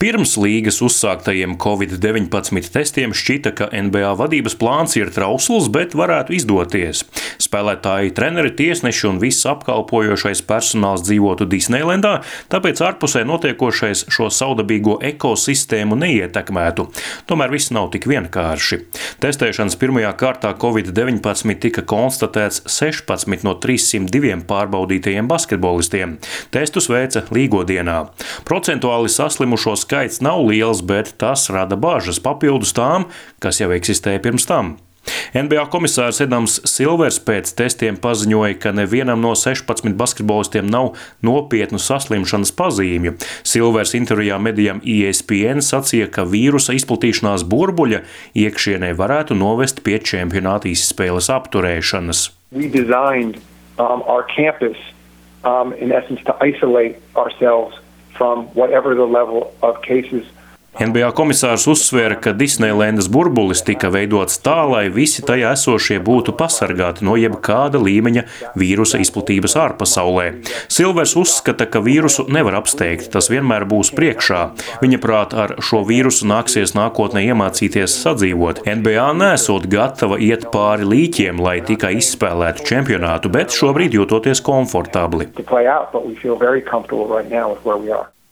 Pirms līgas uzsāktajiem Covid-19 testiem šķita, ka NBA vadības plāns ir trausls, bet varētu izdoties. Spēlētāji, treneri, tiesneši un viss apkalpojošais personāls dzīvotu Disneilendā, tāpēc ārpusē notiekošais šo saudabīgo ekosistēmu neietekmētu. Tomēr viss nav tik vienkārši. Testēšanas pirmajā kārtā Covid-19 tika konstatēts 16 no 302 pārbaudītajiem basketbolistiem. Testus veica līgodienā. Procentuāli saslimušo skaits nav liels, bet tas rada bažas papildus tām, kas jau eksistēja pirms tam. NBA komisārs Edams Silvers pēc testiem paziņoja, ka nevienam no 16 basketbolistiem nav nopietnu saslimšanas pazīmju. Silvers intervijā medijam ESPN sacīja, ka vīrusa izplatīšanās burbuļa iekšienē varētu novest pie čempionāta izspēles apturēšanas. We designed our campus in essence to isolate ourselves from whatever the level of cases. NBA komisārs uzsvēra, ka Disneilendas burbulis tika veidots tā, lai visi tajā esošie būtu pasargāti no jebkāda līmeņa vīrusa izplatības ārpasaulē. Silvers uzskata, ka vīrusu nevar apsteigt, tas vienmēr būs priekšā. Viņa prāt, ar šo vīrusu nāksies nākotnē iemācīties sadzīvot. NBA nesot gatava iet pāri līķiem, lai tikai izspēlētu čempionātu, bet šobrīd jūtoties komfortabli.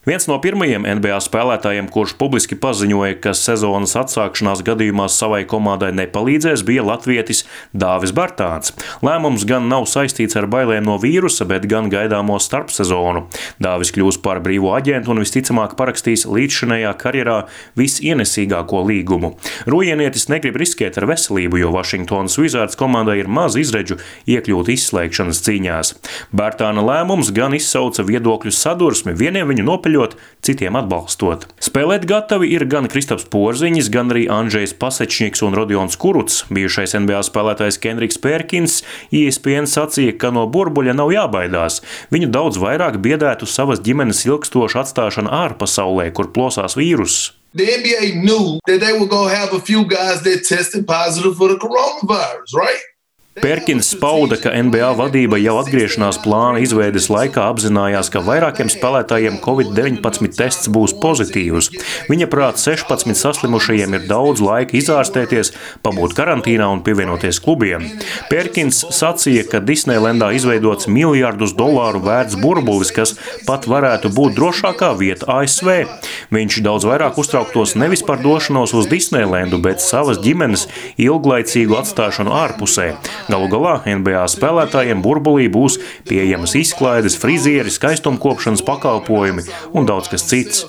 Viens no pirmajiem NBA spēlētājiem, kurš publiski paziņoja, ka sezonas atsākšanās gadījumā savai komandai nepalīdzēs, bija latvietis Dāvis Bartāns. Lēmums gan nav saistīts ar bailēm no vīrusa, bet gan gaidāmo starpsezonu. Dāvis kļūs par brīvo aģentu un visticamāk parakstīs līdzšinējā karjerā visienesīgāko līgumu. Rujienietis negrib riskēt ar veselību, jo Washingtonas Wizards komandai ir maz izredžu iekļūt izslēgšanas cīņās. Bartāna lēmums gan izsauca viedokļu sadursmi, vieniem viņu nopeļot, citiem atbalstot. Spēlēt gatavi ir gan Kristaps Porziņš, gan arī Andžejs Pasečņiks un Rodions Kurucs. Bijušais NBA spēlētājs Kendriks Perkins ESPN sacīja, ka no burbuļa nav jābaidās. Viņu daudz vairāk biedētu savas ģimenes ilgstoša atstāšana ārpasaulē, kur plosās vīruss. The NBA knew that they were going to have a few guys that tested positive for the coronavirus, right? Perkins pauda, ka NBA vadība jau atgriešanās plāna izveides laikā apzinājās, ka vairākiem spēlētājiem Covid-19 tests būs pozitīvs. Viņa prāt 16 saslimušajiem ir daudz laika izārstēties, pabūt karantīnā un pievienoties klubiem. Perkins sacīja, ka Disneilendā izveidots miljardus dolāru vērts burbulis, kas pat varētu būt drošākā vieta ASV. Viņš daudz vairāk uztrauktos nevis par došanos uz Disneilendu, bet savas ģimenes ilglaicīgu atstāšanu ārpusē. Galu galā NBA spēlētājiem burbulī būs pieejamas izklaides, frizieri, skaistumkopšanas pakalpojumi un daudz kas cits.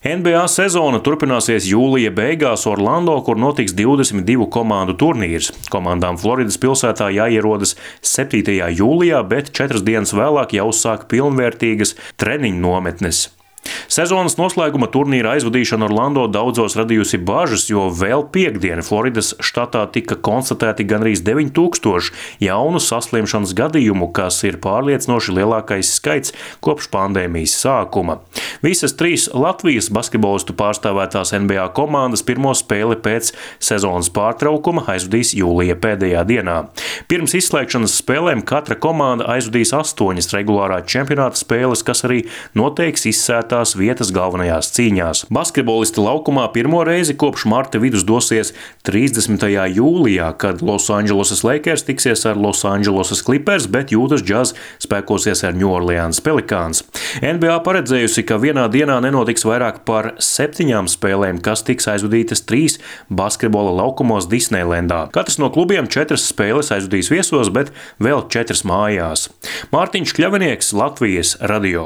NBA sezona turpināsies jūlija beigās Orlando, kur notiks 22 komandu turnīrs. Komandām Floridas pilsētā jāierodas 7. jūlijā, bet 4 dienas vēlāk jāuzsāk pilnvērtīgas treniņu nometnes. Sezonas noslēguma turnīra aizvadīšana Orlando daudzos radījusi bažas, jo vēl piekdien Floridas štatā tika konstatēti gandrīz 9000 jaunu saslimšanas gadījumu, kas ir pārliecinoši lielākais skaits kopš pandēmijas sākuma. Visas 3 Latvijas basketbolistu pārstāvētās NBA komandas pirmo spēli pēc sezonas pārtraukuma aizvadīs jūlija pēdējā dienā. Pirms izslēgšanas spēlēm katra komanda aizvadīs 8 regulārā čempionāta spēles, kas arī noteiks izsētās vietas galvenajās cīņās. Basketbolisti laukumā pirmo reizi kopš marta vidus dosies 30. jūlijā, kad Losandželosas Lakers tiksies ar Losandželosas Clippers, bet Jūtas Jazz spēkosies ar New Orleans Pelicans. NBA paredzējusi, ka vienā dienā nenotiks vairāk par 7 spēlēm, kas tiks aizvadītas 3 basketbola laukumos Disneilendā. Katrs no klubiem 4 spēles aizvadīs viesos, bet vēl 4 mājās. Mārtiņš Kļavinieks, Latvijas radio.